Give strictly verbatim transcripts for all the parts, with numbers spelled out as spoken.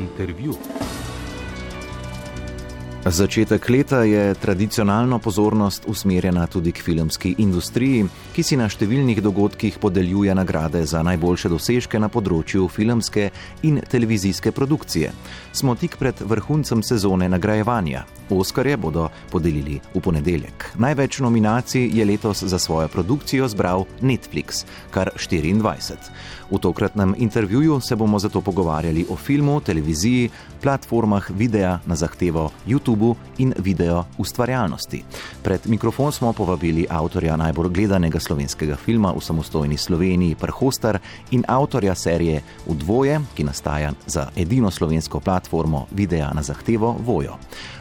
Intervju. Začetek leta je tradicionalno pozornost usmerjena tudi k filmski industriji, ki si na številnih dogodkih podeljuje nagrade za najboljše dosežke na področju filmske in televizijske produkcije. Smo tik pred vrhuncem sezone nagrajevanja. Oskarje bodo podelili v ponedeljek. Največ nominacij je letos za svojo produkcijo zbral Netflix, kar štiriindvajset. V tokratnem intervjuju se bomo zato pogovarjali o filmu, televiziji, platformah videa na zahtevo YouTube in video ustvarjalnosti. Pred mikrofon smo povabili avtorja najbolj gledanega slovenskega filma v samostojni Sloveniji Prhostar in avtorja serije V dvoje, ki nastaja za edino slovensko platformo videa na zahtevo Voyo.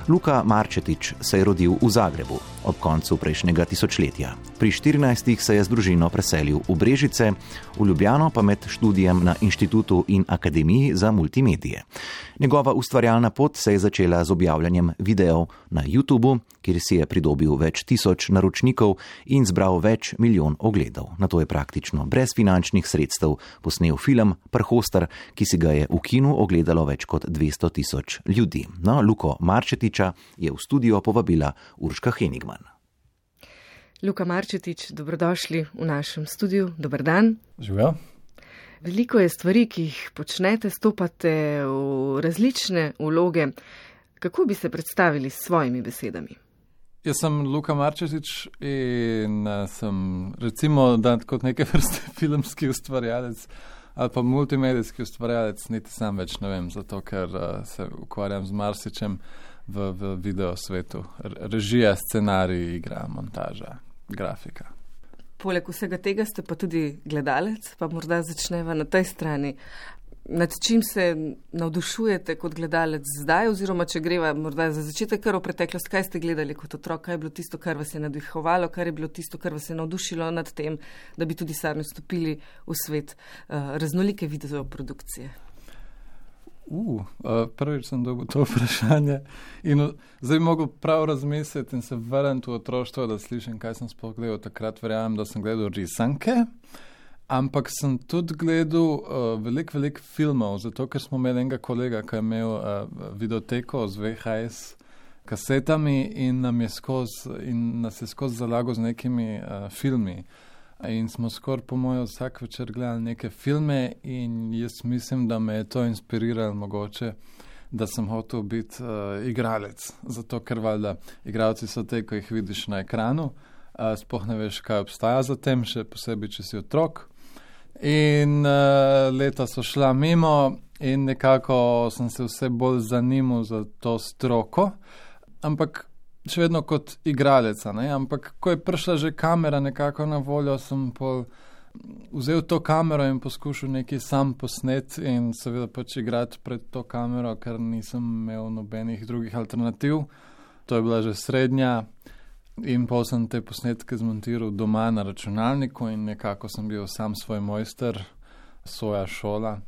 Luka Marčetič se je rodil v Zagrebu ob koncu prejšnjega tisočletja. Pri štirinajstih se je z družino preselil v Brežice, v Ljubljano pa med študijem na Inštitutu in Akademiji za multimedije. Njegova ustvarjalna pot se je začela z objavljanjem videov na YouTubu, kjer si je pridobil več tisoč naročnikov in zbral več milijon ogledov. Nato je praktično brez finančnih sredstev posnel film Prhostar, ki si ga je v kinu ogledalo več kot dvesto tisoč ljudi. No, Luko Marčetiča je v studio povabila Urška Henigman. Luka Marčetič, dobrodošli v našem studiu. Dober dan. Živijo. Veliko je stvari, ki jih počnete, stopate v različne vloge. Kako bi se predstavili s svojimi besedami? Jaz sem Luka Marčetič in sem recimo dan kot neke vrste filmski ustvarjalec ali pa multimedijski ustvarjalec, niti sam več ne vem, zato ker se ukvarjam z marsičem v, v video svetu. Režija, scenarij, igra, montaža, grafika. Poleg vsega tega ste pa tudi gledalec, pa morda začneva na tej strani. Nad čim se navdušujete kot gledalec zdaj, oziroma če greva morda za začetek kar v preteklost, kaj ste gledali kot otrok, kaj je bilo tisto, kar vas je navdihovalo, kar je bilo tisto, kar vas je navdušilo nad tem, da bi tudi sami vstopili v svet uh, raznolike videoprodukcije? Uh, uh, prvič sem dobil to vprašanje in uh, zdaj bi mogel prav razmisliti in se vrniti v otroštvo, da slišim, kaj sem sploh gledal. Takrat verjamem, da sem gledal risanke, ampak sem tudi gledal uh, veliko, veliko filmov, zato ker smo imeli enega kolega, ki je imel uh, videoteko z V H S kasetami in, nam je skozi, in nas je skozi zalagal z nekimi uh, filmi. In smo skoraj po mojo vsak večer gledali neke filme in jaz mislim, da me je to inspiriralo mogoče, da sem hotel biti uh, igralec. Zato, ker valjda igralci so te, ko jih vidiš na ekranu, uh, sploh ne veš, kaj obstaja za tem, še posebej, če si otrok. In uh, leta so šla mimo in nekako sem se vse bolj zanimal za to stroko, ampak še vedno kot igraleca, ne? Ampak ko je prišla že kamera nekako na voljo, sem pol vzel to kamero in poskušal nekaj sam posnet in seveda pač igrati pred to kamero, ker nisem imel nobenih drugih alternativ. To je bila že srednja in pol sem te posnetke zmontiral doma na računalniku in nekako sem bil sam svoj mojster, svoja šola,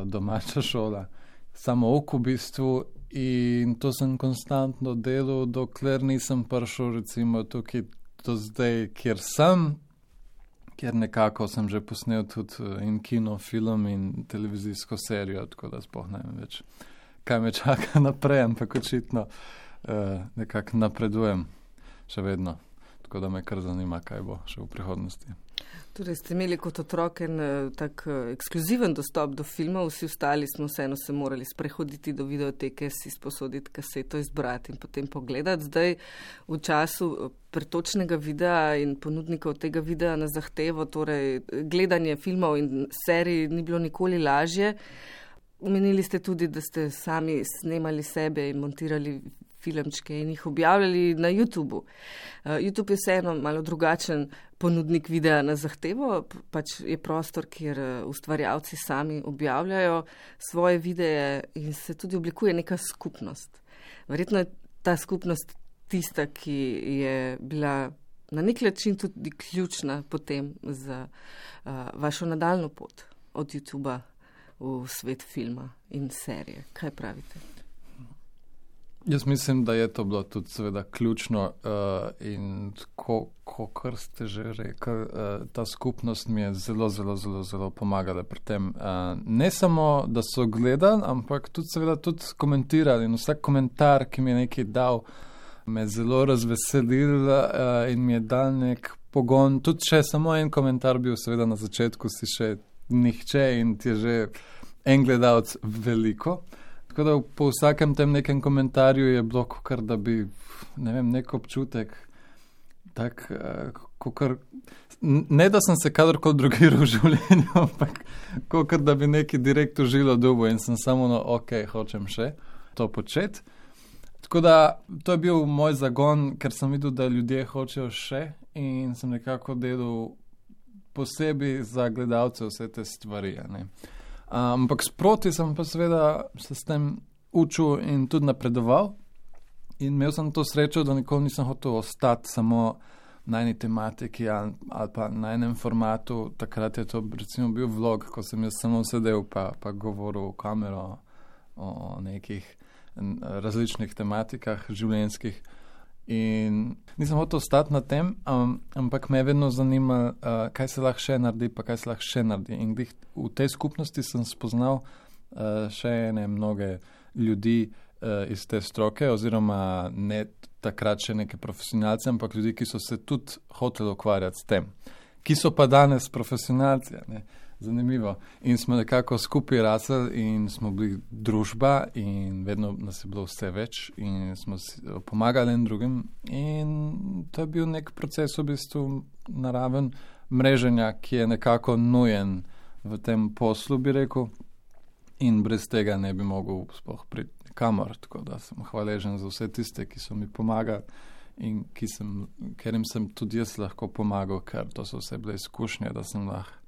domača šola, samo oko v bistvu. In to sem konstantno delal, dokler nisem prišel recimo tukaj do zdaj, kjer sem, kjer nekako sem že posnel tudi in kino, film in televizijsko serijo, tako da sploh ne vem več, kaj me čaka naprej, ampak očitno uh, nekako napredujem še vedno, tako da me kar zanima, kaj bo še v prihodnosti. Torej ste imeli kot otrok en tak ekskluziven dostop do filmov, vsi ostali smo vseeno se morali sprehoditi do videoteke, si sposoditi kaseto, izbrati in potem pogledati. Zdaj v času pretočnega videa in ponudnikov tega videa na zahtevo, torej gledanje filmov in serij ni bilo nikoli lažje. Omenili ste tudi, da ste sami snemali sebe in montirali filmčke in jih objavljali na YouTubu. Uh, YouTube je vseeno malo drugačen ponudnik videa na zahtevo, pač je prostor, kjer ustvarjalci sami objavljajo svoje videe in se tudi oblikuje neka skupnost. Verjetno je ta skupnost tista, ki je bila na nek način tudi ključna potem za uh, vašo nadaljno pot od YouTuba v svet filma in serije. Kaj pravite? Jaz mislim, da je to bilo tudi seveda ključno uh, in ko, ko kar ste že rekli, uh, ta skupnost mi je zelo, zelo, zelo, zelo pomagala pri tem. Uh, ne samo, da so gledali, ampak tudi seveda tudi komentirali in vsak komentar, ki mi je nekaj dal, me je zelo razveselil uh, in mi je dal nek pogon. Tudi če samo en komentar bil, seveda na začetku si še nihče in ti je že en gledalec veliko. Tako da po vsakem tem nekem komentarju je bilo, kakor da bi, ne vem, nek občutek, tak, kakor, ne da sem se kadarkoli drugiral v življenju, ampak kakor da bi neki direkt užilo dubo in sem samo, no, ok, hočem še to početi. Tako da to je bil moj zagon, ker sem videl, da ljudje hočejo še in sem nekako delal posebej za gledalce vse te stvari, ne. Ampak sproti sem pa seveda se s tem učil in tudi napredoval in imel sem to srečo, da nikoli nisem hotel ostati samo na eni tematiki ali, ali pa na enem formatu. Takrat je to recimo bil vlog, ko sem jaz samo sedel pa, pa govoril v kamero o nekih različnih tematikah življenjskih in nisem hotel ostati na tem, um, ampak me je vedno zanimalo, uh, kaj se lahko še naredi, pa kaj se lahko še naredi. In v tej skupnosti sem spoznal uh, še ene mnoge ljudi uh, iz te stroke, oziroma ne takrat še neke profesionalce, ampak ljudi, ki so se tudi hoteli ukvarjati s tem, ki so pa danes profesionalci, ne. Zanimivo. In smo nekako skupaj rasli in smo bili družba in vedno nas je bilo vse več in smo si pomagali en drugim in to je bil nek proces v bistvu naraven mreženja, ki je nekako nujen v tem poslu, bi rekel, in brez tega ne bi mogel sploh priti kamor, tako da sem hvaležen za vse tiste, ki so mi pomagali in ki sem, ker jim sem tudi jaz lahko pomagal, ker to so vse bile izkušnje, da sem lahko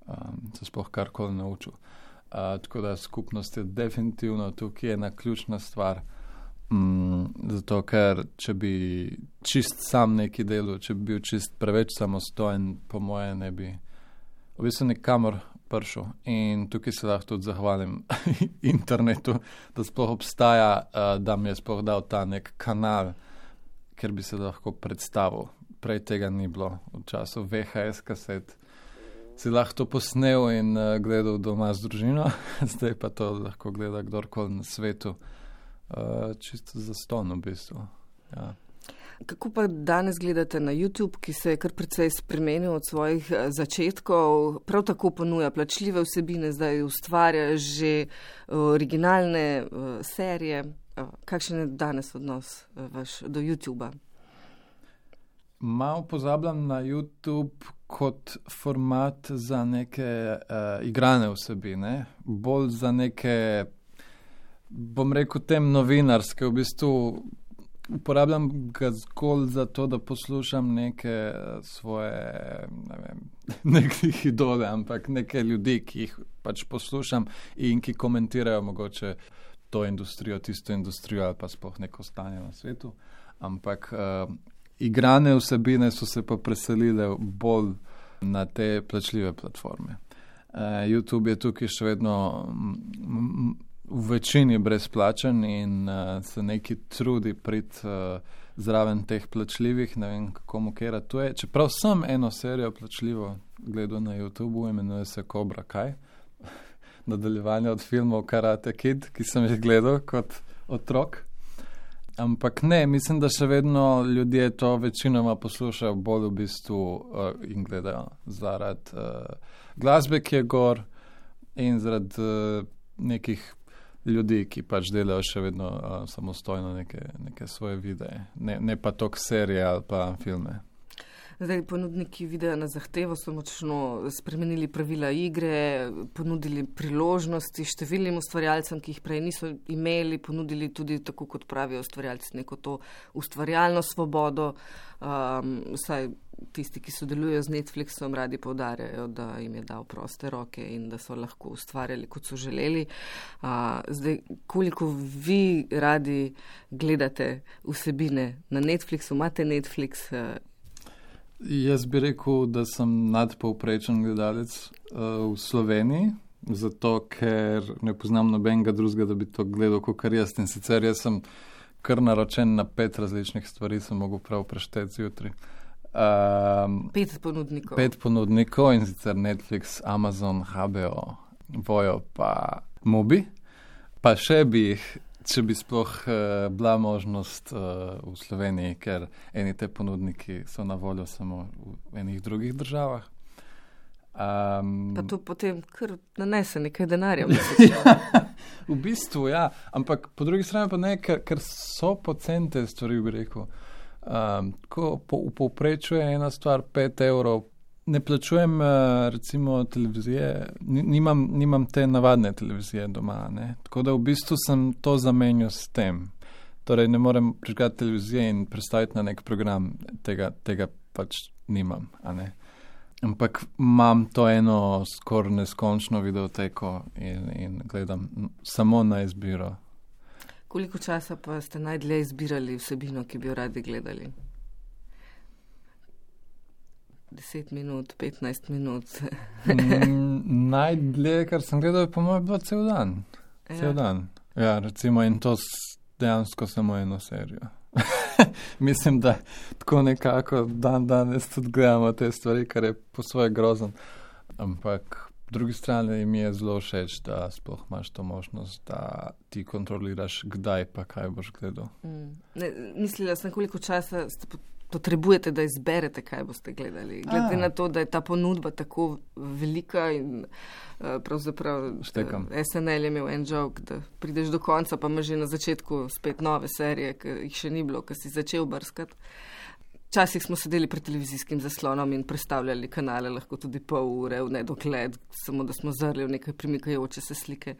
Um, se sploh karkoli naučil. Uh, tako da skupnost je definitivno tukaj ena ključna stvar, um, zato ker če bi čist sam neki delal, če bi bil čist preveč samostojen, po moje ne bi v bistvu nikamor prišel. In tukaj se lahko tudi zahvalim internetu, da sploh obstaja, uh, da mi je sploh dal ta nek kanal, kjer bi se lahko predstavil. Prej tega ni bilo v času V H S kaset. Si lahko to posnel in uh, gledal doma z družino, zdaj pa to lahko gleda kdorkoli na svetu. Uh, čisto zastonj v bistvu. Ja. Kako pa danes gledate na YouTube, ki se je kar precej spremenil od svojih začetkov, prav tako ponuja plačljive vsebine, zdaj ustvarja že originalne uh, serije. Uh, kakšen je danes odnos uh, vaš do YouTuba? Malo pozabljam na YouTube kot format za neke uh, igrane vsebine, bolj za neke, bom rekel, tem novinarske. V bistvu uporabljam ga zgolj za to, da poslušam neke svoje, ne vem, nekih idole, ampak neke ljudi, ki jih pač poslušam in ki komentirajo mogoče to industrijo, tisto industrijo ali pa sploh neko stanje na svetu. Ampak uh, igrane vsebine so se pa preselile bolj na te plačljive platforme. Uh, YouTube je tukaj še vedno m, v večini brezplačen in uh, se neki trudi priti uh, zraven teh plačljivih, ne vem, kako mu kera to je. Čeprav sem eno serijo plačljivo gledal na YouTubeu, imenuje se Cobra Kai, nadaljevanje od filmov Karate Kid, ki sem jih gledal kot otrok. Ampak ne, mislim, da še vedno ljudje to večinoma poslušajo bolj v bistvu uh, in gledajo zaradi uh, glasbe, ki je gor in zaradi uh, nekih ljudi, ki pač delajo še vedno uh, samostojno neke, neke svoje videe, ne, ne pa tok serije ali pa filme. Zdaj, ponudniki videa na zahtevo so močno spremenili pravila igre, ponudili priložnosti številnim ustvarjalcem, ki jih prej niso imeli, ponudili tudi, tako kot pravijo ustvarjalci, neko to ustvarjalno svobodo. Um, vsaj tisti, ki sodelujejo z Netflixom, radi poudarjajo, da jim je dal proste roke in da so lahko ustvarjali, kot so želeli. Uh, zdaj, koliko vi radi gledate vsebine na Netflixu, imate Netflix? Uh, Jaz bi rekel, da sem nadpovprečen gledalec uh, v Sloveniji, zato ker ne poznam nobenega drugega, da bi to gledal kot jaz. In sicer jaz sem kar naročen na pet različnih stvari, sem mogel prav prešteti zjutraj. Um, pet ponudnikov. Pet ponudnikov in sicer Netflix, Amazon, H B O, Voyo pa Mubi. Pa še bi jih, če bi sploh uh, bila možnost uh, v Sloveniji, ker eni te ponudniki so na voljo samo v enih drugih državah. Um, pa to potem kar nanese nekaj denarja. Ja, v bistvu, ja. Ampak po drugi strani pa ne, ker, ker so poceni te stvari, bi rekel. Um, ko po, v povprečju je ena stvar pet evrov. Ne plačujem uh, recimo televizije, nimam, nimam te navadne televizije doma, ne. Tako da v bistvu sem to zamenjal s tem. Torej ne morem prižgati televizije in predstaviti na nek program, tega, tega pač nimam, a ne. Ampak imam to eno skoraj neskončno videoteko in, in gledam samo na izbiro. Koliko časa pa ste najdlje izbirali vsebino, ki bi jo radi gledali? Deset minut, petnajst minut. mm, najdlje, kar sem gledal, je po mojem bilo cel dan. Ja. Cel dan. Ja, recimo in to dejansko samo eno serijo. Mislim, da tako nekako dan danes tudi gledamo te stvari, kar je po svoje grozen. Ampak po drugi strani mi je zelo všeč, da sploh imaš to možnost, da ti kontroliraš, kdaj pa kaj boš gledal. Mm. Ne, mislila sem, koliko časa ste potrebujete, da izberete, kaj boste gledali. Glede A. na to, da je ta ponudba tako velika in uh, pravzaprav uh, S N L je imel en joke, da prideš do konca, pa imaš že na začetku spet nove serije, ki jih še ni bilo, ki si začel brskati. Včasih smo sedeli pred televizijskim zaslonom in prestavljali kanale, lahko tudi pol ure v nedogled, samo da smo zrli v nekaj premikajoče se slike,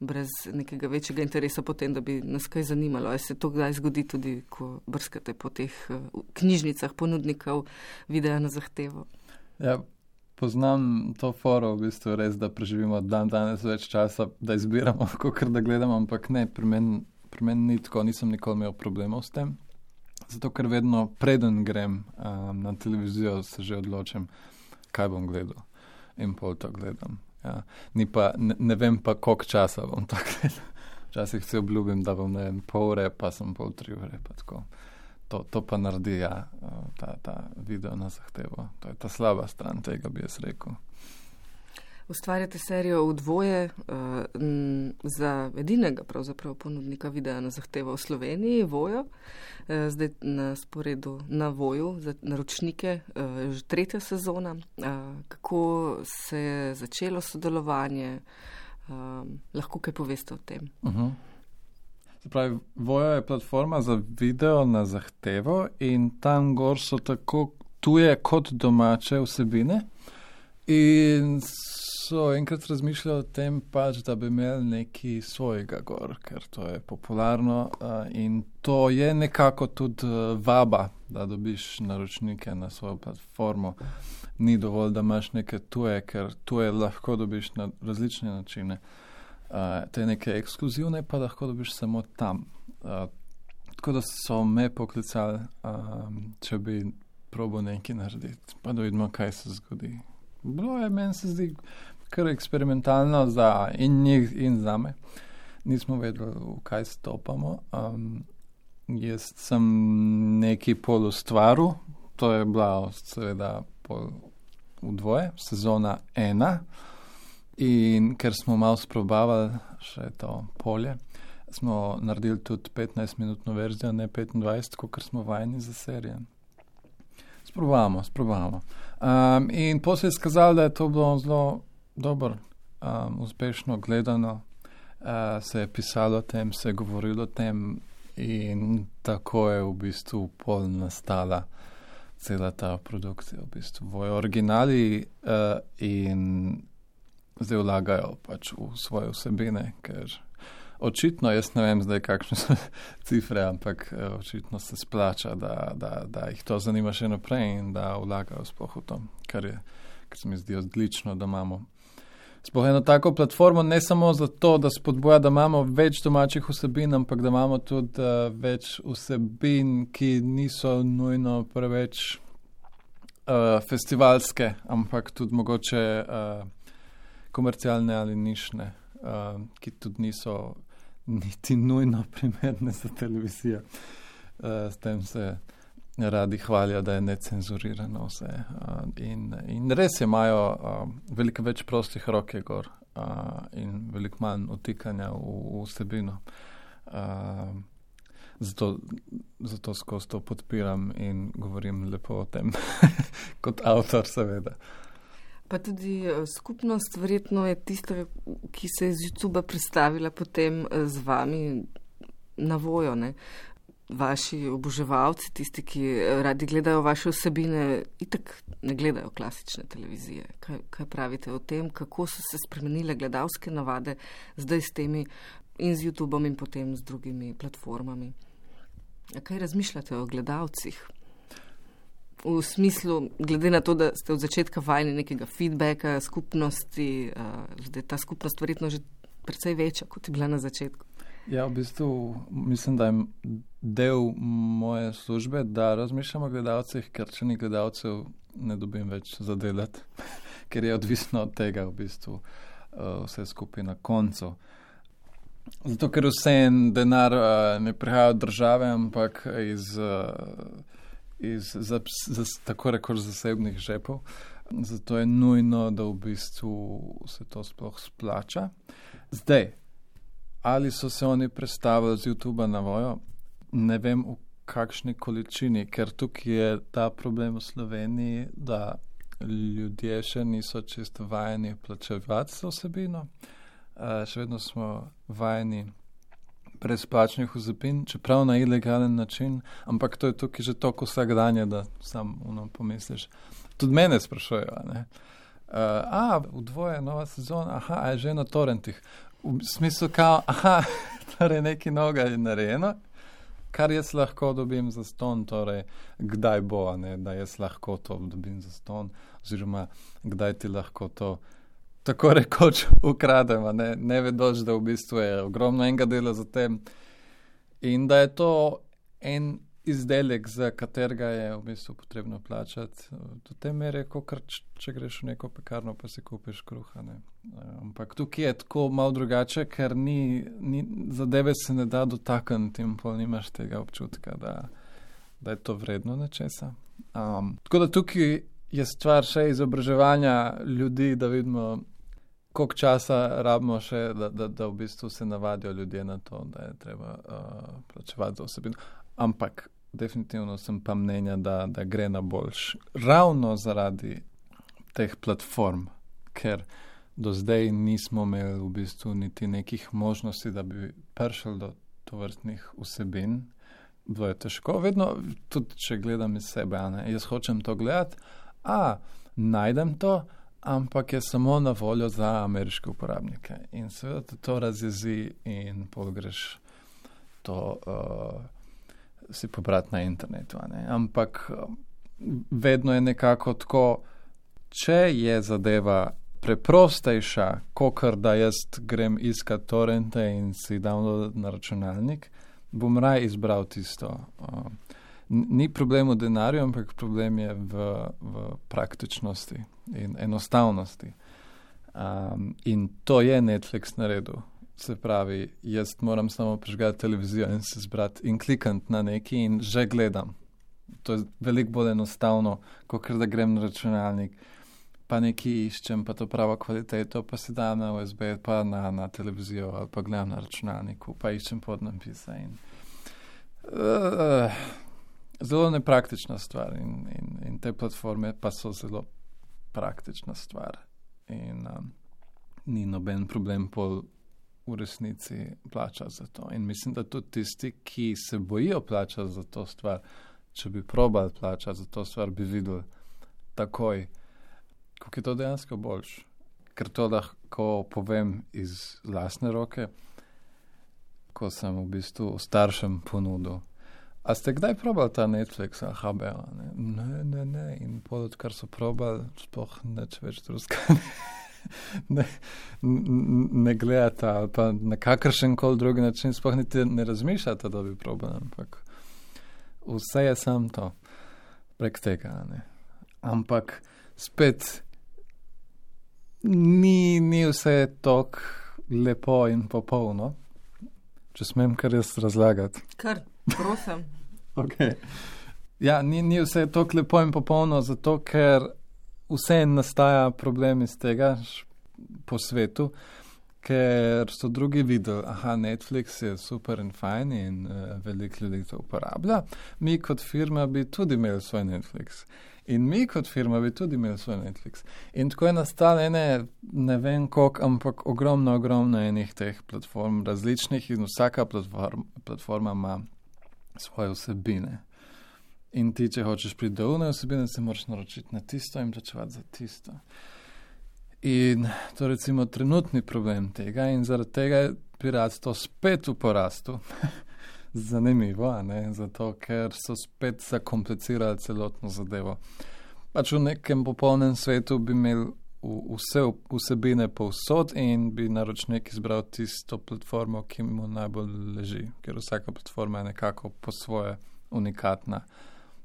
brez nekega večjega interesa potem, da bi nas kaj zanimalo. A se to kdaj zgodi tudi, ko brskate po teh uh, knjižnicah ponudnikov videa na zahtevo? Ja, poznam to foro, v bistvu res, da preživimo dan danes več časa, da izbiramo, kakor da gledamo, ampak ne, pri meni pri meni ni tako, nisem nikoli imel problemov s tem. Zato, ker vedno preden grem um, na televizijo, se že odločim, kaj bom gledal. In pol to gledam. Ja. Ni pa, ne, ne vem pa, koliko časa bom to gledal. Včasih se obljubim, da bom ne pol ure, pa sem pol tri ure. Pa tako. To, to pa naredi, ja, ta, ta video na zahtevo. To je ta slaba stran tega, bi jaz rekel. Ustvarjate serijo v dvoje uh, m, za edinega pravzaprav ponudnika videa na zahtevo v Sloveniji, Voyo. Uh, zdaj na sporedu na Voyu za naročnike uh, že tretja sezona. Uh, kako se je začelo sodelovanje? Uh, lahko kaj poveste o tem? Uh-huh. Se pravi, Voyo je platforma za video na zahtevo in tam gor so tako tuje kot domače vsebine. In so enkrat razmišljali o tem pač, da bi imeli nekaj svojega gor, ker to je popularno uh, in to je nekako tudi uh, vaba, da dobiš naročnike na svojo platformo. Ni dovolj, da imaš neke tuje, ker tuje lahko dobiš na različne načine. Uh, te neke ekskluzivne pa lahko dobiš samo tam. Uh, tako da so me poklicali, um, če bi probal nekaj narediti, pa da vidimo, kaj se zgodi. Bilo je, meni se zdi, kar eksperimentalno za in njih in za me. Nismo vedeli, v kaj stopamo. Um, jaz sem nekaj pol ustvaril, to je bila seveda pol v dvoje, sezona ena. In ker smo malo sprobavali še to polje, smo naredili tudi petnajstminutno verzijo, ne petindvajset, kot smo vajeni za serijo. Sprobavamo, sprobavamo. Um, in potem se je skazalo, da je to bilo zelo dobro, um, uspešno gledano, uh, se je pisalo o tem, se je govorilo o tem in tako je v bistvu pol nastala cela ta produkcija, v bistvu v originali uh, in zdaj vlagajo pač v svoje vsebine, ker očitno, jaz ne vem zdaj, kakšne so cifre, ampak očitno se splača, da, da, da jih to zanima še naprej in da vlagajo sploh v to, kar, je, kar se mi zdi odlično, da imamo sploh eno tako platformo, ne samo zato, da spodbuja, da imamo več domačih vsebin, ampak da imamo tudi uh, več vsebin, ki niso nujno preveč uh, festivalske, ampak tudi mogoče uh, komercialne ali nišne, uh, ki tudi niso niti nujno primerne za televizijo. Uh, s tem se radi hvalijo, da je necenzurirano vse. Uh, in, in res imajo uh, veliko več prostih rok je gor uh, in veliko manj utikanja v, v vsebino. Uh, zato, zato skozi to podpiram in govorim lepo o tem kot avtor, seveda. Pa tudi skupnost verjetno je tista, ki se je z YouTube predstavila potem z vami na vojo, ne? Vaši oboževalci, tisti, ki radi gledajo vaše vsebine, itak ne gledajo klasične televizije. Kaj, kaj pravite o tem, kako so se spremenile gledalske navade zdaj s temi in z YouTubeom in potem z drugimi platformami? A kaj razmišljate o gledalcih? V smislu, glede na to, da ste od začetka vajeni nekega feedbacka, skupnosti, zdaj ta skupnost verjetno že precej večja, kot je bila na začetku. Ja, v bistvu mislim, da je del moje službe, da razmišljam o gledalcih, ker če ni gledalcev, ne dobim več zadelati, ker je odvisno od tega v bistvu vse skupaj na koncu. Zato, ker vse en denar ne prihaja od države, ampak iz, iz za, za, tako rekoč zasebnih žepov. Zato je nujno, da v bistvu se to sploh splača. Zdaj, ali so se oni predstavili z YouTubea na vojo, ne vem v kakšni količini, ker tukaj je ta problem v Sloveniji, da ljudje še niso čisto vajeni plačevati za vsebino. Uh, še vedno smo vajeni brezplačnih vsebin, čeprav na ilegalen način, ampak to je tukaj že toliko vsakdanje, da sam ono pomisliš. Tudi mene sprašujejo, ne? Uh, a, v dvoje nova sezona, aha, a je že na torrentih. V smislu kao, aha, torej nekaj novega je narejeno, kar jaz lahko dobim za ston, torej kdaj bo, ne, da jaz lahko to dobim za ston, oziroma kdaj ti lahko to tako rekoč ukradem, ne, ne vedoč, da v bistvu je ogromno enega dela za tem in da je to en izdelek, za katerega je v bistvu potrebno plačati. Do te mere, kot če greš v neko pekarno, pa si kupiš kruha. Ne. Ampak tukaj je tako malo drugače, ker ni, ni, zadeve se ne da dotakniti in pol nimaš tega občutka, da, da je to vredno nečesa. Um, tako da tukaj je stvar še izobraževanja ljudi, da vidimo, koliko časa rabimo še, da, da, da v bistvu se navadijo ljudje na to, da je treba uh, plačevati za osebino. Ampak definitivno sem pa mnenja, da, da gre na boljš. Ravno zaradi teh platform, ker do zdaj nismo imeli v bistvu niti nekih možnosti, da bi prišli do tovrstnih vsebin. Bilo je težko. Vedno, tudi če gledam iz sebe, ne, jaz hočem to gledati, a najdem to, ampak je samo na voljo za ameriške uporabnike. In seveda te to razjezi in pol greš to uh, si pobrati na internetu. Ne? Ampak vedno je nekako tako, če je zadeva preprostejša, kakor da jaz grem iskat torrente in si download na računalnik, bom raj izbral tisto. Uh, ni problem v denarju, ampak problem je v, v praktičnosti in enostavnosti. Um, in to je Netflix naredil. Se pravi, jaz moram samo prižgati televizijo in se zbrati in klikati na neki in že gledam. To je veliko bolj enostavno, kot da grem na računalnik, pa nekaj iščem, pa to pravo kvaliteto, pa si dam na U S B, pa na, na televizijo, ali pa gledam na računalniku, pa iščem podnapise. In, uh, zelo nepraktična stvar in, in, in te platforme pa so zelo praktična stvar. In um, ni noben problem pol v resnici plača za to. In mislim, da tudi tisti, ki se bojijo plačati za to stvar, če bi probali plačati za to stvar, bi videli takoj, kako je to dejansko boljš. Ker to lahko povem iz lastne roke, ko sem v bistvu staršem ponudil. A ste kdaj probali ta Netflix ali H B O? Ne, ne, ne. ne. In pol, odkar so probali, sploh neč več druskane. Ne, ne gledata ali pa na kakršen koli drugi način sploh niti ne razmišljata, da bi probali, ampak vse je sam to prek tega. Ne. Ampak spet ni, ni vse tako lepo in popolno. če smem kar jaz razlagati. Kar, prosim. Okay. Ja, ni, ni vse tako lepo in popolno, zato ker vse nastaja problem iz tega po svetu, ker so drugi videli, aha, Netflix je super in fajn in uh, veliko ljudi to uporablja. Mi kot firma bi tudi imeli svoj Netflix. In mi kot firma bi tudi imeli svoj Netflix. In tako je nastalo ene, ne vem koliko, ampak ogromno, ogromno enih teh platform različnih in vsaka platform, platforma ima svoje vsebine. In ti, če hočeš priti do une vsebine, se moraš naročiti na tisto in plačevati za tisto. In to je recimo trenutni problem tega in zaradi tega je piratstvo spet v porastu. Zanimivo, a ne? Zato, ker so spet zakomplicirali celotno zadevo. Pač v nekem popolnem svetu bi imeli vse vsebine povsod in bi naročnik izbral tisto platformo, ki mu najbolj leži, ker vsaka platforma je nekako po svoje unikatna,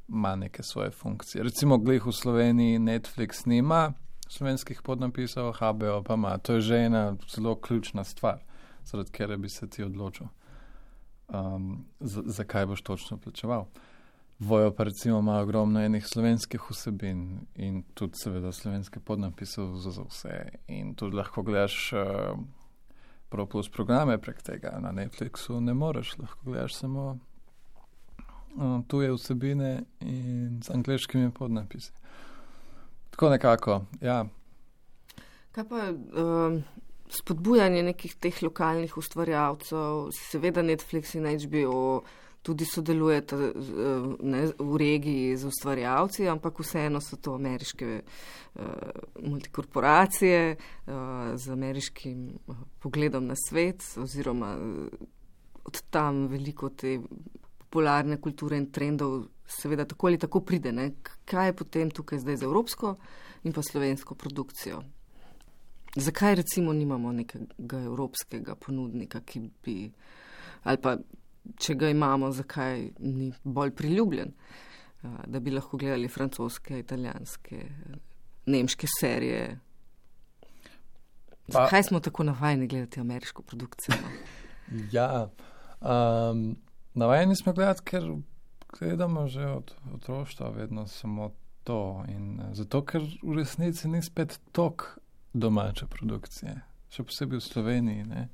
ima neke svoje funkcije. Recimo glih v Sloveniji Netflix nima slovenskih podnapisov, H B O pa ima. To je že ena zelo ključna stvar, zaradi kjer bi se ti odločil, um, zakaj boš točno plačeval. Vojo pa recimo ima ogromno enih slovenskih vsebin in tudi seveda slovenske podnapisov za, za vse. In tudi lahko gledaš uh, Pro Plus programe prek tega. Na Netflixu ne moreš, lahko gledaš samo uh, tuje vsebine in z angleškimi podnapisi. Tako nekako, ja. Kaj pa um, spodbujanje nekih teh lokalnih ustvarjalcev, seveda Netflix in H B O tudi sodelujete ne, v regiji z ustvarjalci, ampak vseeno so to ameriške uh, multikorporacije uh, z ameriškim uh, pogledom na svet, oziroma uh, od tam veliko te popularne kulture in trendov seveda tako ali tako pride. Ne? Kaj je potem tukaj zdaj z evropsko in pa slovensko produkcijo? Zakaj recimo nimamo nekega evropskega ponudnika, ki bi, ali pa če ga imamo, zakaj ni bolj priljubljen, da bi lahko gledali francoske, italijanske, nemške serije? Pa, zakaj smo tako navajeni gledati ameriško produkcijo? Ja, um, navajeni smo gledati, ker gledamo že od otroštva vedno samo to. In zato, ker v resnici ni spet tok domače produkcije, še posebej v Sloveniji. Ne?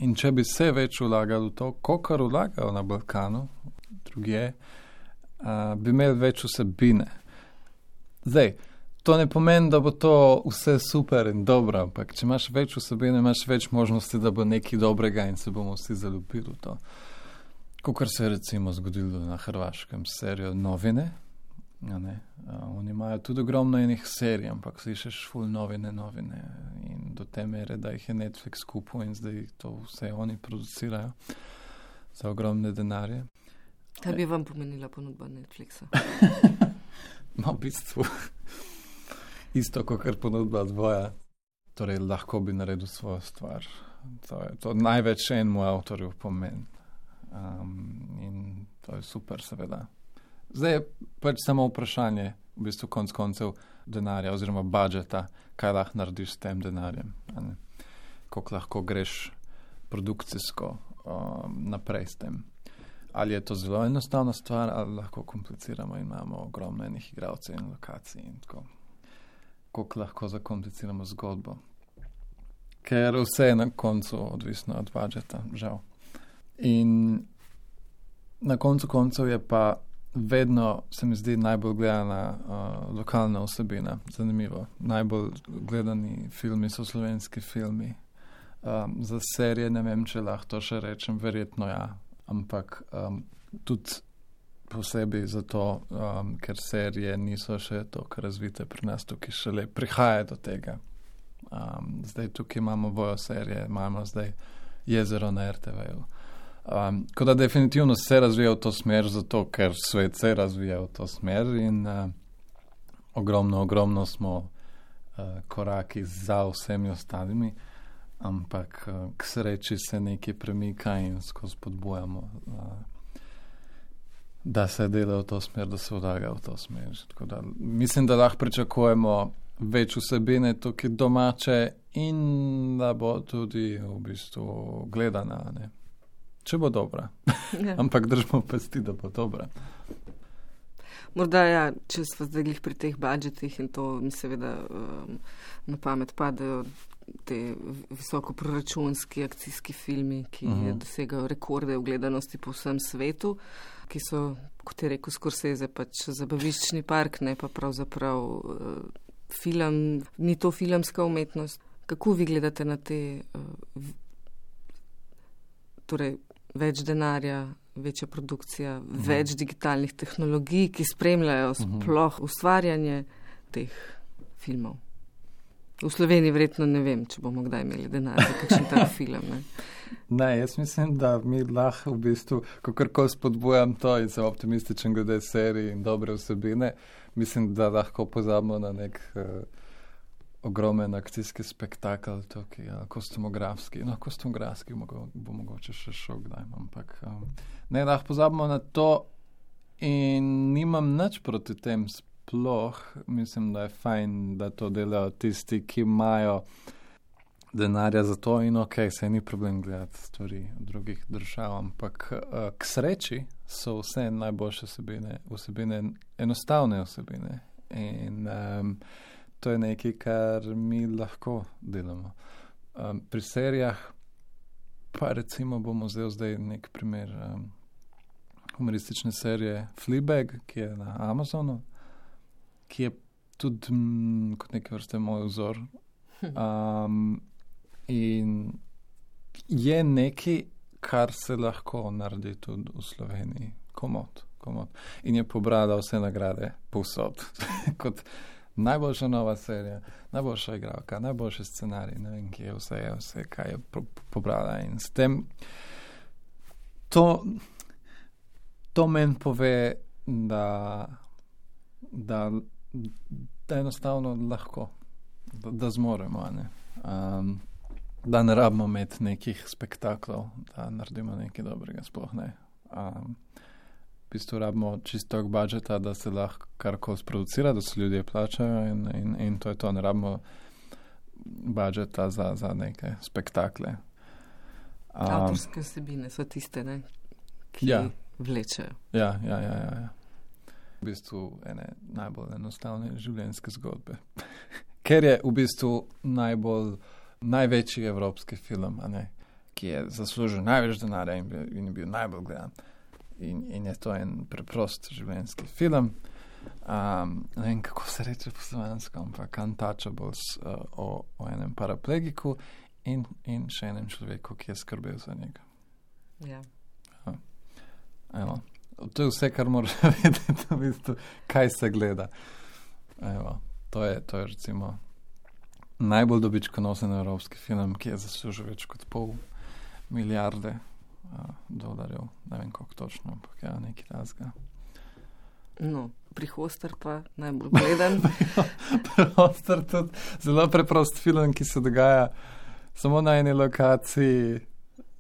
In če bi se več vlagali v to, kolikor vlagajo na Balkanu, drugje, uh, bi imeli več vsebine. Zdaj, to ne pomeni, da bo to vse super in dobro, ampak če imaš več vsebine, imaš več možnosti, da bo nekaj dobrega in se bomo vsi zaljubili v to. Kakor se je recimo zgodilo na Hrvaškem s serijo Novine. Ja, ne. Uh, oni imajo tudi ogromno enih serij, ampak slišiš ful novine, novine in do te mere, da jih je Netflix kupil in zdaj to vse oni producirajo za ogromne denarje. Kaj bi vam pomenila ponudba Netflixa? No, v bistvu isto, kakor ponudba dvoja. Torej, lahko bi naredil svojo stvar. To je to največ enemu avtorju pomeni. Um, in to je super, seveda. Zdaj je pač samo vprašanje, v bistvu konc koncev denarja oziroma budžeta, kaj lahko narediš s tem denarjem. Koliko lahko greš produkcijsko um, naprej s tem. Ali je to zelo enostavna stvar, ali lahko kompliciramo in imamo ogromno enih igralcev in lokacij in tako. Koliko lahko zakompliciramo zgodbo. Ker vse je na koncu odvisno od budžeta, žal. In na koncu koncev je pa vedno, se mi zdi, najbolj gledana uh, lokalna vsebina. Zanimivo. Najbolj gledani filmi so slovenski filmi. Um, za serije ne vem, če lahko to še rečem, verjetno ja. Ampak um, tudi posebej zato, um, ker serije niso še toliko razvite pri nas, tukaj šele prihaja do tega. Um, zdaj tukaj imamo Vojo serije, imamo zdaj Jezero na R T V-ju. Um, ko da definitivno se razvija v to smer, zato ker svet se razvija v to smer in uh, ogromno, ogromno smo uh, koraki za vsemi ostalimi, ampak uh, k sreči se nekaj premika in skozi spodbujamo, uh, da se dela v to smer, da se vlaga v to smer. Tako da mislim, da lahko pričakujemo več vsebine tukaj domače in da bo tudi v bistvu gledana, ne? če bo dobra. Ja. Ampak držimo pesti, da bo dobra. Morda, ja, če smo zdaj glih pri teh budžetih in to mi seveda um, na pamet padajo te visokoproračunski akcijski filmi, ki uh-huh. dosegajo rekorde v gledanosti po vsem svetu, ki so, kot je rekel Scorsese, pač zabaviščni park, ne pa pravzaprav uh, film, ni to filmska umetnost. Kako vi gledate na te, uh, torej več denarja, večja produkcija, uh-huh. več digitalnih tehnologij, ki spremljajo sploh uh-huh. ustvarjanje teh filmov? V Sloveniji verjetno ne vem, če bomo kdaj imeli denar za kakšen tak film. Ne? ne, jaz mislim, da mi lahko v bistvu, kakorkoli spodbujam to in sem optimističen glede serij in dobre vsebine, mislim, da lahko pozabimo na nek uh, ogromen akcijski spektakl, tukaj, ja, kostumografski, no, kostumografski mogo, bo mogoče še šel kdaj, ampak um, ne, lahko pozabimo na to in nimam nič proti tem sploh, mislim, da je fajn, da to delajo tisti, ki imajo denarja za to in ok, se ni problem gledati stvari v drugih držav, ampak uh, k sreči so vse najboljše vsebine, vsebine, enostavne vsebine in um, to je nekaj, kar mi lahko delamo. Um, pri serijah pa recimo bomo zdaj zdaj nek primer um, humoristične serije Fleabag, ki je na Amazonu, ki je tudi mm, kot neke vrste moj vzor. Um, in je nekaj, kar se lahko naredi tudi v Sloveniji. Komod, komod. In je pobrala vse nagrade povsod. Kot najboljša nova serija, najboljša igralka, najboljši scenarij, ne vem, kje je vse, je vse, kaj je po- pobrala. In s tem to, to meni pove, da da da enostavno lahko, da, da zmoremo, ne? Um, da ne rabimo imeti nekih spektaklov, da naredimo nekaj dobrega, sploh ne. Um, v bistvu rabimo čisto budžeta, da se lahko karkoli sproducira, da se ljudje plačajo in, in, in to je to, ne rabimo budžeta za, za neke spektakle. Um, Avtorske vsebine so tiste, ne, ki ja. vlečejo. Ja, ja, ja, ja, ja. V bistvu ene najbolj enostavne življenjske zgodbe. Ker je v bistvu najbolj, največji evropski film, a ne, ki je zaslužil največ denarja in, in je bil najbolj gledan. In, in je to en preprost življenjski film. Um, ne vem, kako se reče po slovensko, ampak Untouchables uh, o, o enem paraplegiku in, in še enem človeku, ki je skrbel za njega. Ja. Uh, evo. To je vse, kar moraš vedeti, v bistvu, kaj se gleda. Evo, to je, to je recimo najbolj dobičkonosen evropski film, ki je zaslužil več kot pol milijarde uh, dolarjev. Ne vem, koliko točno, ampak ja, nekaj razga. No, pri Hoster pa najbolj gledan. Pri Hoster tudi zelo preprost film, ki se dogaja samo na eni lokaciji.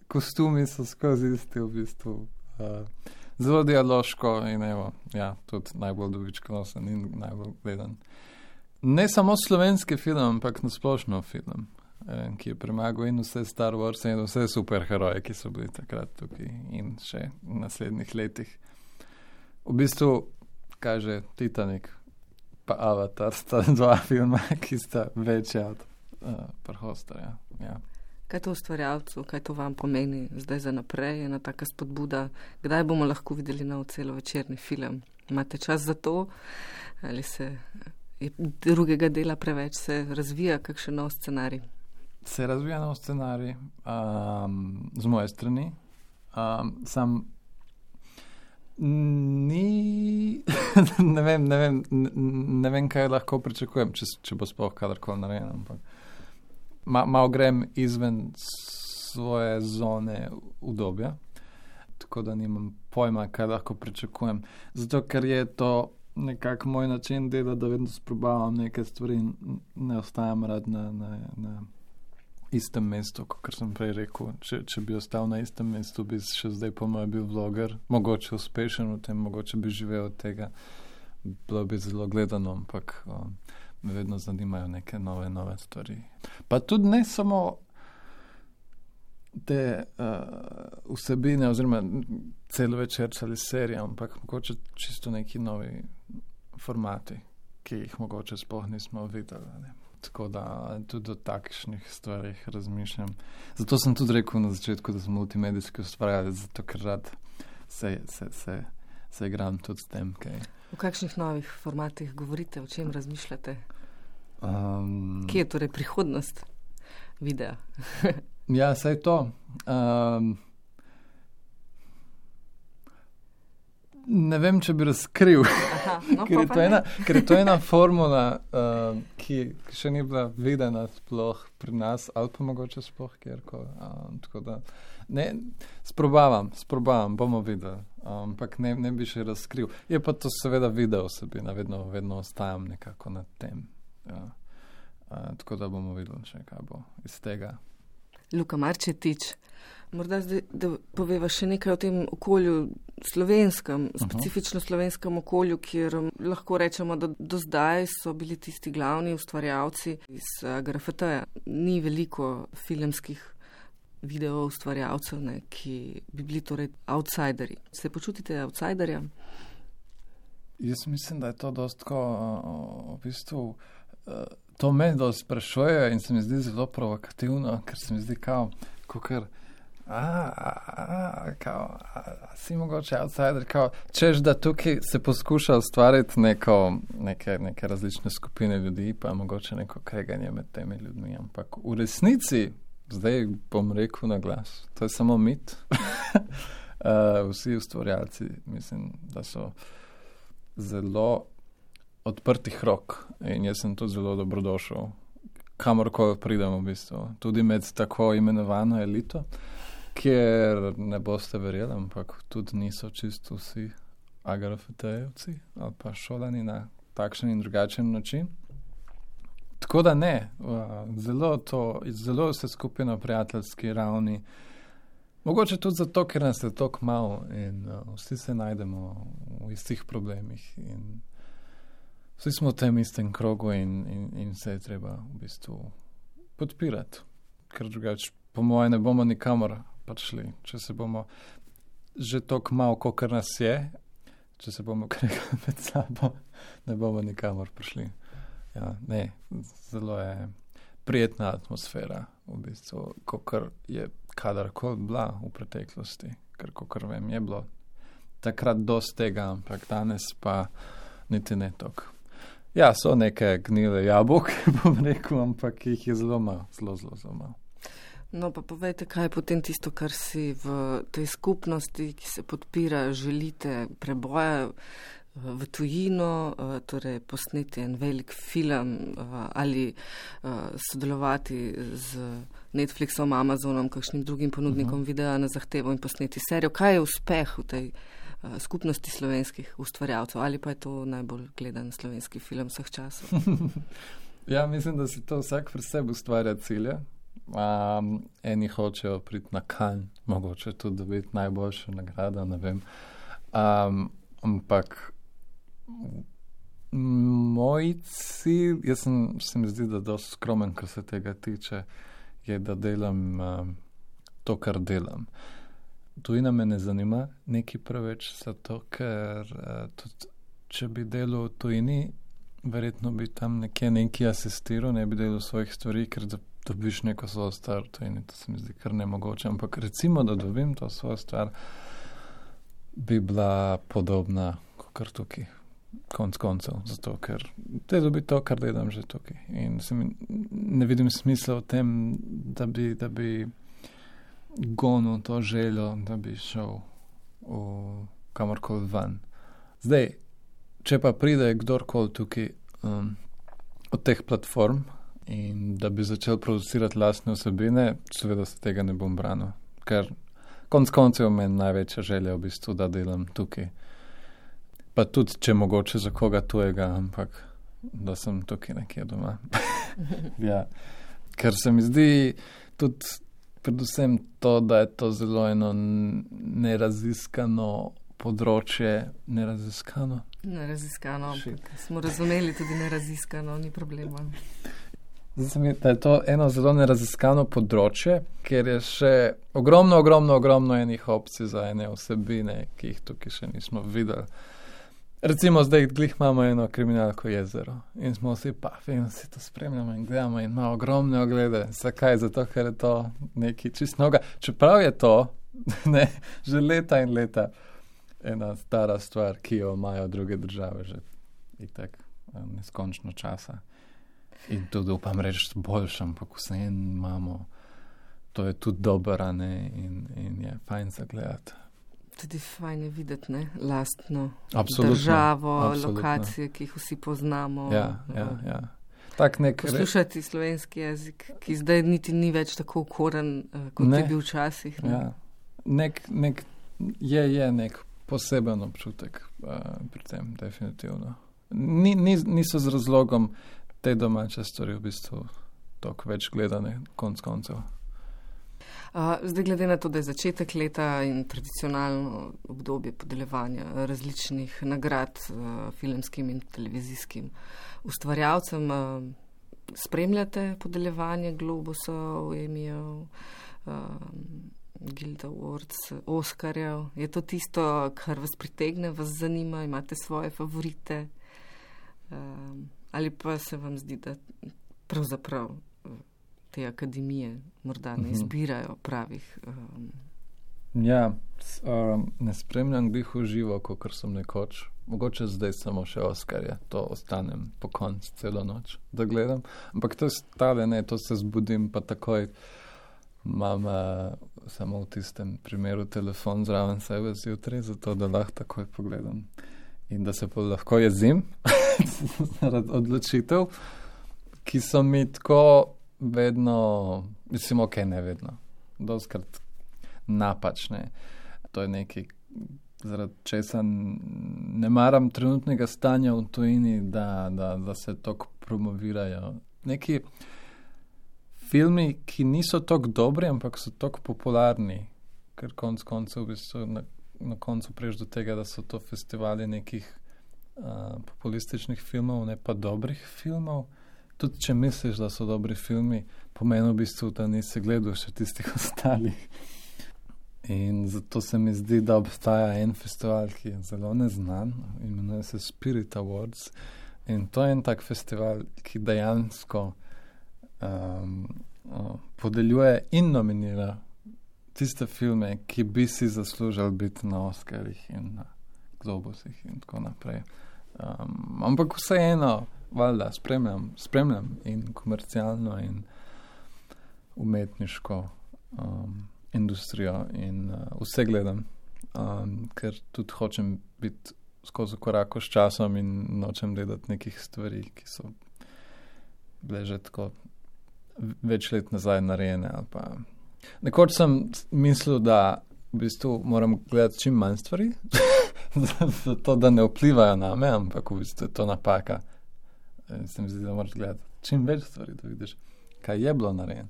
Kostumi so skozi isti v bistvu. Uh, Zelo dialoško in evo, ja, tudi najbolj dobičkonosen in najbolj gledan. Ne samo slovenski film, ampak nasplošno film, eh, ki je premagal in vse Star Wars in vse superheroje, ki so bili takrat tukaj in še v naslednjih letih. V bistvu, kaže Titanic pa Avatar, sta dva filma, ki sta večja od uh, Hosterja. Ja. Kaj to ustvarjalcu, kaj to vam pomeni zdaj za naprej, ena taka spodbuda, kdaj bomo lahko videli nov celovečerni film? Imate čas za to? Ali se je drugega dela preveč, se razvija kakšen nov scenarij? Se razvija nov scenarij um, z moje strani. Um, sam ni ne vem, ne vem, ne vem, kaj lahko pričakujem, če, če bo sploh kadarkoli narejeno, ampak Ma, malo grem izven svoje zone udobja, tako da nimam pojma, kaj lahko pričakujem. Zato, ker je to nekako moj način dela, da vedno sprobavam neke stvari in ne ostajam rad na, na, na istem mestu, kot sem prej rekel. Če, če bi ostal na istem mestu, bi še zdaj po mojem bil vloger, mogoče uspešen v tem, mogoče bi živel od tega, bilo bi zelo gledano, ampak um, me vedno zanimajo neke nove, nove stvari. Pa tudi ne samo te uh, vsebine oziroma celovečer ali serije, ampak mogoče čisto neki novi formati, ki jih mogoče sploh nismo videli. Ne? Tako da tudi o takšnih stvarih razmišljam. Zato sem tudi rekel na začetku, da sem multimedijski ustvarjalec, zato ker rad se, se, se, se igram tudi s tem. Kaj. V kakšnih novih formatih govorite, o čem razmišljate? Um, Kje je torej prihodnost videa? Ja, saj to. Um, ne vem, če bi razkril, Aha, no, ker, je to ena, ker je to ena formula, uh, ki še ni bila videna sploh pri nas, ali pa mogoče sploh kjerkoli. Um, tako da, ne, sprobavam, sprobavam, bomo videli, ampak um, ne, ne bi še razkril. Je pa to seveda video osebina, vedno, vedno ostajam nekako nad tem. Ja. Uh, tako da bomo videli še, kaj bo iz tega. Luka Marčetič, morda zdaj, da poveva še nekaj o tem okolju slovenskem, uh-huh. specifično slovenskem okolju, kjer lahko rečemo, da do zdaj so bili tisti glavni ustvarjalci iz uh, G R F T-ja. Ni veliko filmskih video ustvarjalcev, ne, ki bi bili torej outsideri. Se počutite outsiderja? Jaz mislim, da je to dost tako, v bistvu, to me dost sprašuje in se mi zdi zelo provokativno, ker se mi zdi kao, kakor, a, a, a, kao, a, a si mogoče outsider, kao, češ da tukaj se poskuša ustvariti neko, neke, neke različne skupine ljudi, pa mogoče neko kreganje med temi ljudmi, ampak v resnici, zdaj bom rekel na glas, to je samo mit. uh, vsi ustvarjalci, mislim, da so zelo odprtih rok in jaz sem tudi zelo dobrodošel, kamorkoli pridem v bistvu, tudi med tako imenovano elito, kjer ne boste verjeli, ampak tudi niso čisto vsi A G R F T-jevci ali pa šolani na takšen in drugačen način. Tako da ne, zelo to, zelo vse skupaj na prijateljski ravni. Mogoče tudi zato, ker nas je toliko malo in uh, vsi se najdemo v istih problemih in vsi smo v tem istem krogu in, in, in se je treba v bistvu podpirati, ker drugače po moje ne bomo nikamor prišli, če se bomo že toliko malo, kolikor nas je, če se bomo kregali med sabo, ne bomo nikamor prišli. Ja, ne, zelo je prijetna atmosfera v bistvu, kolikor je kadarkoli bila v preteklosti, ker kolikor vem, je bilo takrat dosti tega, ampak danes pa niti ne toliko. Ja, so neke gnile jabolke, bom rekel, ampak jih je zelo malo, zelo, zelo, zelo malo. No, pa povejte, kaj je potem tisto, kar si v tej skupnosti, ki se podpira, želite preboja v tujino, torej posneti en velik film ali sodelovati z Netflixom, Amazonom, kakšnim drugim ponudnikom uh-huh. videa na zahtevo in posneti serijo. Kaj je uspeh v tej skupnosti slovenskih ustvarjalcev ali pa je to najbolj gledan slovenski film vseh časov? Ja, mislim, da si to vsak pri sebi ustvarja cilje. Um, eni hočejo priti na Cannes, mogoče tudi dobiti najboljšo nagrado, ne vem. Um, ampak moj cilj, jaz sem, se mi zdi, da dosti skromen, kar se tega tiče, je, da delam um, to, kar delam. Tujina me ne zanima neki preveč, zato ker uh, tudi, če bi delal v tujini, verjetno bi tam nekje neki asistiral, ne bi delal svojih stvari, ker da dobiš neko svojo stvar v tujini, to se mi zdi kar nemogoče, ampak recimo, da dobim to svojo stvar, bi bila podobna kot tukaj, konc koncev, zato ker te dobi to, kar delam že tukaj. In se mi ne vidim smisla v tem, da bi, da bi gonil to željo, da bi šel v kamorkoli ven. Zdaj, če pa pride kdorkoli tukaj um, od teh platform in da bi začel producirati lastne osebine, seveda se tega ne bom branil, ker konc koncev meni največja želja v bistvu, da delam tukaj. Pa tudi, če mogoče za koga tujega, ampak da sem tukaj nekje doma. Ja. Ker se mi zdi tudi predvsem to, da je to zelo eno neraziskano področje, neraziskano? Neraziskano, smo razumeli tudi neraziskano, ni problema. Zdaj se mi, da je to eno zelo neraziskano področje, ker je še ogromno, ogromno, ogromno enih opcij za ene vsebine, ki jih tukaj še nismo videli. Recimo zdaj glih imamo eno kriminalko Jezero in smo vsi pafi in vsi to spremljamo in gledamo in ima ogromne oglede. Zakaj? Zato, ker je to nekaj čist noga. Čeprav je to ne, že leta in leta ena stara stvar, ki jo imajo druge države že itak neskončno časa. In tudi upam reči boljšem, ampak vseeno imamo, to je tudi dober, a ne, in, in je fajn za gledati. Tudi fajn je videti, ne, lastno absolutno, državo, absolutno. Lokacije, ki jih vsi poznamo. Ja, ja, ja. Tak nek poslušati re... slovenski jezik, ki zdaj niti ni več tako ukoren, kot ne. Je bil včasih. Ne? Ja. Nek, nek, je, je nek poseben občutek uh, pri tem, definitivno. Ni, ni, niso z razlogom te domače stvari v bistvu toliko več gledane konc koncev. Uh, zdaj glede na to, da je začetek leta in tradicionalno obdobje podeljevanja različnih nagrad uh, filmskim in televizijskim ustvarjalcem, uh, spremljate podeljevanje Globusov, Emmyjev, uh, Guild Awards, Oskarjev. Je to tisto, kar vas pritegne, vas zanima, imate svoje favorite? Uh, ali pa se vam zdi, da pravzaprav te akademije morda ne izbirajo pravih? Um... Ja, um, ne spremljam glih v živo, kakor sem nekoč. Mogoče zdaj samo še Oskarje, to ostanem po koncu celo noč, da gledam. Ampak to je stale, ne, to se zbudim, pa takoj imam uh, samo v tistem primeru telefon zraven sebe zjutraj, zato da lahko takoj pogledam. In da se pa lahko jezim zaradi odločitev, ki so mi tako vedno, mislim, ok, ne vedno, doskrat napačne. To je nekaj, zaradi česa ne maram trenutnega stanja v tujini, da, da, da se toliko promovirajo. Neki filmi, ki niso toliko dobri, ampak so toliko popularni, ker konc koncev v bistvu na, na koncu prejš do tega, da so to festivali nekih uh, populističnih filmov, ne pa dobrih filmov. Tudi če misliš, da so dobri filmi, pomeni v bistvu, da nisi gledal še tistih ostalih. In zato se mi zdi, da obstaja en festival, ki je zelo neznan, imenuje se Spirit Awards. In to je en tak festival, ki dejansko um, uh, podeljuje in nominira tiste filme, ki bi si zaslužili biti na Oscarjih in na Globusih in tako naprej. Um, ampak vseeno, valjda, spremljam, spremljam in komercialno in umetniško um, industrijo in uh, vse gledam, um, ker tudi hočem biti skozi korako s časom in nočem gledati nekih stvari, ki so bile že tako več let nazaj narejene. Ali pa... Nekoč sem mislil, da v bistvu moram gledati čim manj stvari, zato da ne vplivajo na me, ampak v bistvu je to napaka. Se mi zdi, da moraš gledati čim več stvari, da vidiš, kaj je bilo narejen.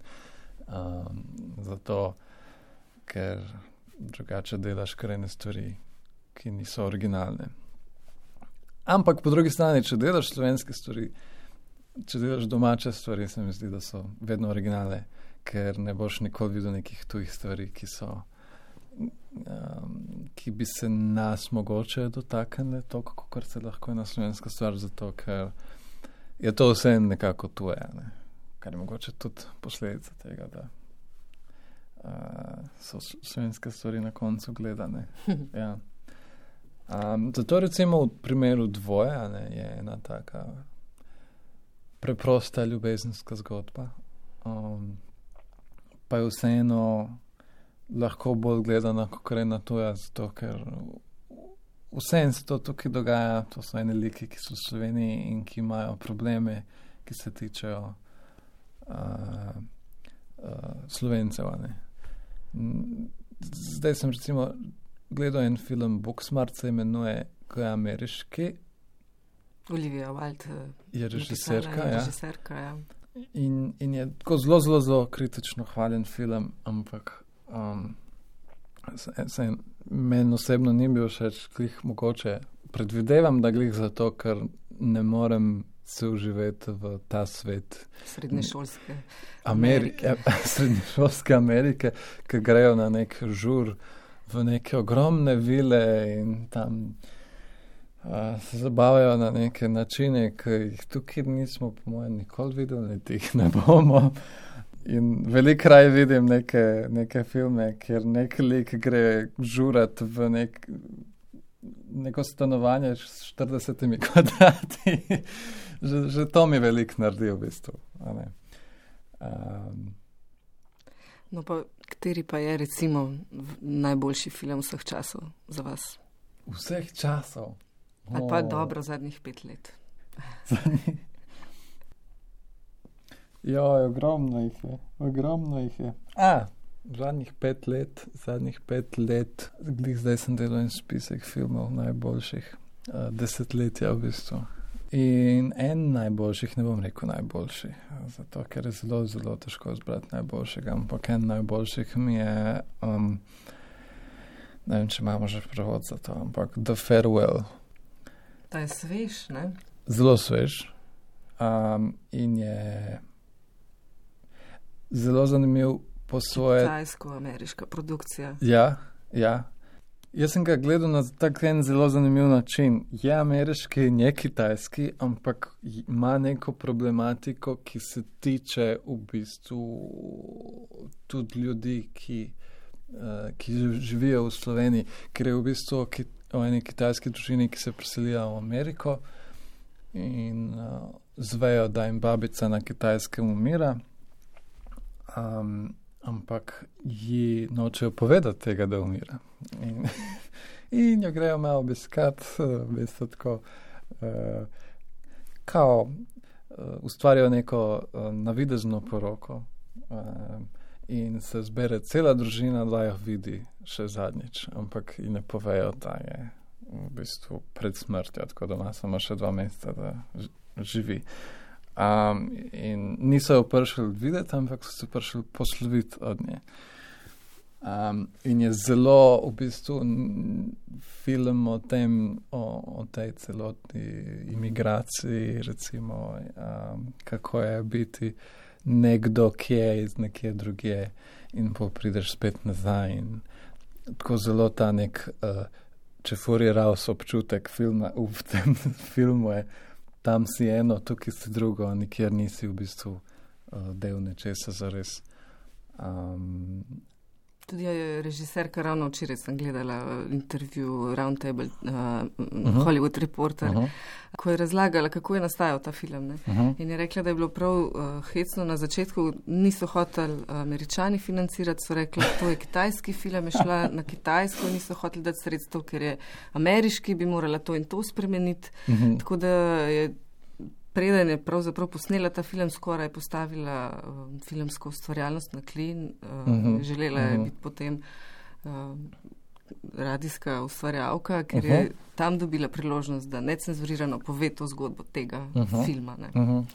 Um, zato, ker drugače delaš krajne stvari, ki niso originalne. Ampak po drugi strani, če delaš slovenske stvari, če delaš domače stvari, se mi zdi, da so vedno originalne, ker ne boš nikoli videl nekih tujih stvari, ki so um, ki bi se nas mogoče dotaknile toliko, kot se lahko je na slovenska stvar, zato ker je to vse nekako tuje, ne? Kar je mogoče tudi posledica tega, da uh, so slovenske stvari na koncu gledane. Ja. Um, zato recimo v primeru Dvoje, ne, je ena taka preprosta ljubezenska zgodba, um, pa je vseeno lahko bolj gledana, kot je na tuja, zato ker vseeno se to tukaj dogaja, to so ene liki, ki so v Sloveniji in ki imajo probleme, ki se tičejo uh, uh, Slovencev. Ne. Zdaj sem recimo gledal en film, Booksmart se imenuje, ko je ameriški. Olivia Wilde je režiserka, ja. režiserka ja. In, in je tako zelo, zelo, zelo kritično hvaljen film, ampak um, se, se, meni osebno ni bil všeč, glih mogoče predvidevam, da glih zato, ker ne morem se uživeti v ta svet. Srednješolske Amerike. Amerike. Srednješolske Amerike, ki grejo na nek žur v neke ogromne vile in tam uh, se zabavajo na neke načine, ki jih tukaj nismo, po mojem, nikoli videli, niti jih ne bomo. In veliko raje vidim neke, neke filme, kjer nek lik gre žurat v nek, neko stanovanje s štiridesetimi kvadrati. že, že to mi veliko naredi v bistvu. Um, no pa, kateri pa je recimo najboljši film vseh časov za vas? Vseh časov? Oh. Ali pa dobro zadnjih pet let? Ja, ogromno jih je, ogromno jih je. A, zadnjih pet let, zadnjih pet let, zdaj sem delal en spisek filmov najboljših, uh, desetletja v bistvu. In en najboljših, ne bom rekel najboljši, zato ker je zelo, zelo težko izbrati najboljšega, ampak en najboljših mi je, um, ne vem, če imamo že prevod za to, ampak The Farewell. Ta je svež, ne? Zelo svež. Um, in je zelo zanimiv po svoje... Kitajsko-ameriška produkcija. Ja, ja. Jaz sem ga gledal na tak en zelo zanimiv način. Je ameriški, je kitajski, ampak ima neko problematiko, ki se tiče v bistvu tudi ljudi, ki, uh, ki živijo v Sloveniji, ker je v bistvu ki, o eni kitajski družini, ki se preselijo v Ameriko in uh, zvejo, da jim babica na Kitajskem umira. Um, ampak ji nočejo povedati tega, da umira. In, in jo grejo malo obiskat, v bistvu tako, uh, kao uh, ustvarijo neko uh, navidezno poroko uh, in se zbere cela družina, da jo vidi še zadnjič, ampak ji ne povejo, da je v bistvu pred smrtjo, tako da ima samo še dva meseca, da živi. Um, in niso jo prišli videti, ampak so se prišli posloviti od nje. Um, in je zelo v bistvu film o tem, o, o tej celotni imigraciji, recimo, um, kako je biti nekdo, ki je iz nekje drugje in pa prideš spet nazaj. In tako zelo ta nek uh, čefuriral občutek filma v tem filmu je, tam si eno, tukaj si drugo, nikjer nisi v bistvu uh, del nečesa zares. Um, Tudi je režiserka, ravno včeraj sem gledala intervju Roundtable, uh, uh-huh. Hollywood Reporter, uh-huh. ko je razlagala, kako je nastajal ta film. Ne? Uh-huh. In je rekla, da je bilo prav uh, hecno na začetku, niso hoteli uh, Američani financirati, so rekli, to je kitajski film, je šla na Kitajsko, niso hoteli dati sredstev, ker je ameriški, bi morala to in to spremeniti. Uh-huh. Tako da je preden je pravzaprav posnela ta film, skoraj postavila uh, filmsko ustvarjalnost na klin, uh, uh-huh. želela je uh-huh. biti potem uh, radijska ustvarjalka, ker uh-huh. je tam dobila priložnost, da necenzurirano pove to zgodbo tega uh-huh. filma. Ne. Uh-huh.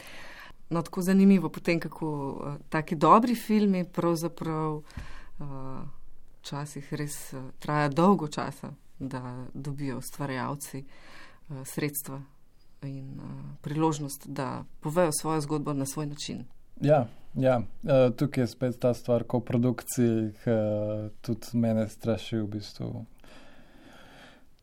No, tako zanimivo potem, kako uh, taki dobri filmi pravzaprav včasih uh, res uh, traja dolgo časa, da dobijo ustvarjalci uh, sredstva in uh, priložnost, da povejo svojo zgodbo na svoj način. Ja, ja. Uh, tukaj je spet ta stvar, ko v produkciji uh, tudi mene straši v bistvu.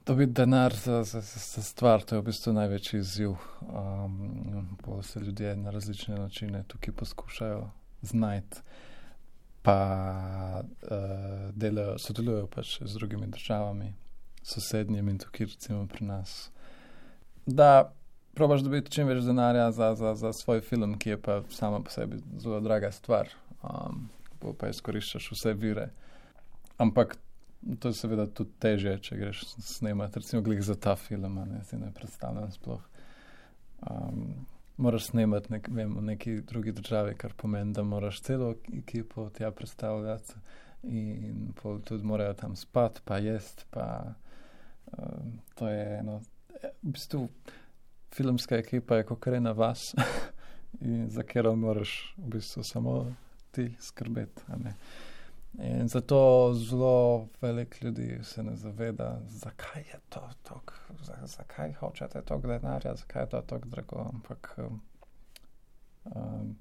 Dobiti denar za, za, za stvar, to je v bistvu največji izziv. Um, pa se ljudje na različne načine tukaj poskušajo znajti, pa uh, delajo, sodelujo pač z drugimi državami, sosednjimi in tukaj recimo pri nas. Da probaš dobiti čim več denarja za, za, za svoj film, ki je pa sama po sebi zelo draga stvar, um, pa izkoriščaš vse vire. Ampak to je seveda tudi težje, če greš snemati, recimo glih za ta film, ne, si ne predstavljam sploh. Um, moraš snemati nek, vem, v neki drugi državi, kar pomeni, da moraš celo ekipo tja predstavljati in pol tudi morajo tam spati, pa jest, pa um, to je eno, v bistvu filmska ekipa je kakor ena vas, in za katero moraš v bistvu samo ti skrbeti. A ne? In zato zelo velik ljudi se ne zaveda, zakaj je to tako, zakaj hočete toliko denarja, zakaj je to tako drago. Ampak um, um,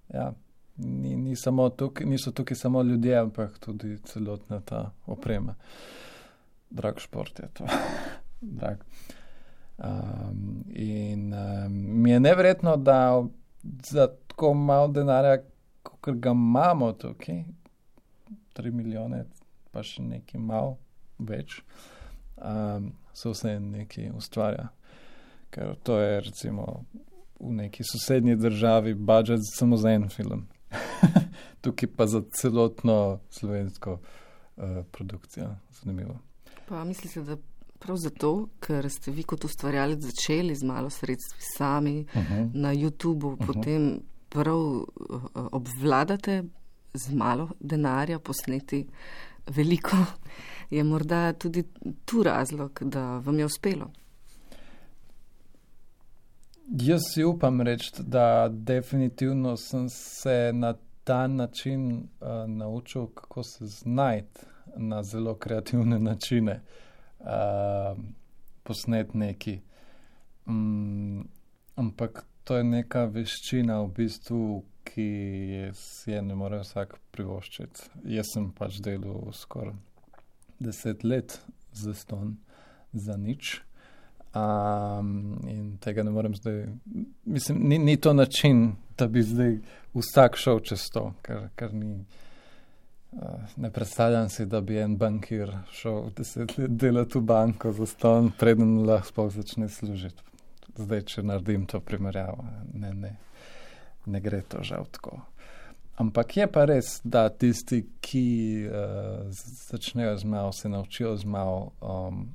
ja, ni, ni samo tukaj, niso tukaj samo ljudje, ampak tudi celotna ta oprema. Drag šport je to. Drag. Um, in um, mi je neverjetno, da za tako malo denarja, kot ga imamo tukaj, tri milijone, pa še nekaj malo več, um, se vse nekaj ustvarja. Ker to je recimo v neki sosednji državi budžet samo za en film. Tukaj pa za celotno slovensko uh, produkcijo. Zanimivo. Pa mislite, da prav zato, ker ste vi kot ustvarjalec začeli z malo sredstvi sami uh-huh. na YouTubu, uh-huh. potem prav uh, obvladate z malo denarja posneti veliko, je morda tudi tu razlog, da vam je uspelo? Jaz si upam reči, da definitivno sem se na ta način uh, naučil, kako se znajti na zelo kreativne načine uh, posneti neki. Um, ampak to je neka veščina v bistvu, ki si je ne more vsak privoščiti. Jaz sem pač delal skoraj deset let zastonj za nič. Um, in tega ne morem zdaj, mislim, ni, ni to način, da bi zdaj vsak šel čez to, ker, ker ni, uh, ne predstavljam si, da bi en bankir šel deset let delati v banko zastonj, preden lahko sploh začne služiti. Zdaj, če naredim to primerjavo, ne, ne, ne gre to žal tako. Ampak je pa res, da tisti, ki uh, začnejo z malo, se naučijo z malo, um,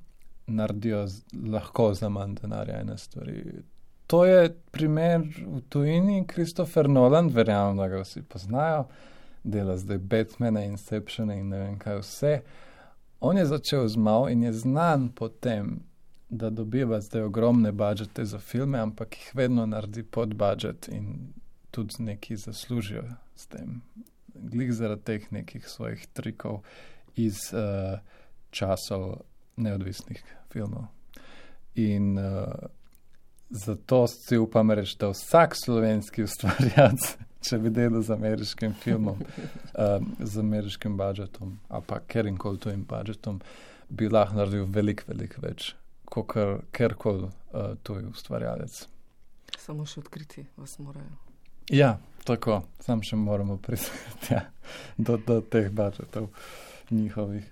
naredijo z, lahko za manj denarja ene stvari. To je primer v tujini. Christopher Nolan, verjamem, da ga vsi poznajo, dela zdaj Batmana, Inceptiona in ne vem kaj vse. On je začel z malo in je znan po tem, da dobiva zdaj ogromne budžete za filme, ampak jih vedno naredi pod budžet in tudi neki zaslužijo s tem. Glih zaradi teh nekih svojih trikov iz uh, časov neodvisnih filmov. In uh, zato si upam reči, da vsak slovenski ustvarjalec, če bi delal z ameriškim filmom, uh, z ameriškim budžetom, ali pa kerinkoli tujim budžetom, bi lahko naredil veliko, veliko več, kot kjerkoli uh, tuj ustvarjalec. Samo še odkriti vas morajo. Ja, tako. Sam še moramo pristati ja, do, do teh budžetov njihovih.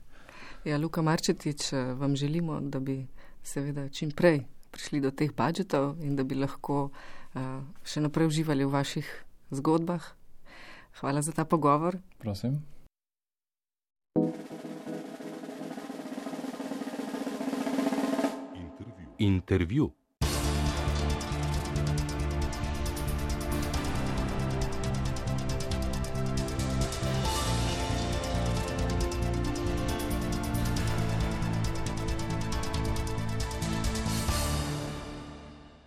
Ja, Luka Marčetič, vam želimo, da bi seveda čim prej prišli do teh budžetov in da bi lahko uh, še naprej uživali v vaših zgodbah. Hvala za ta pogovor. Prosim. Intervju. Intervju.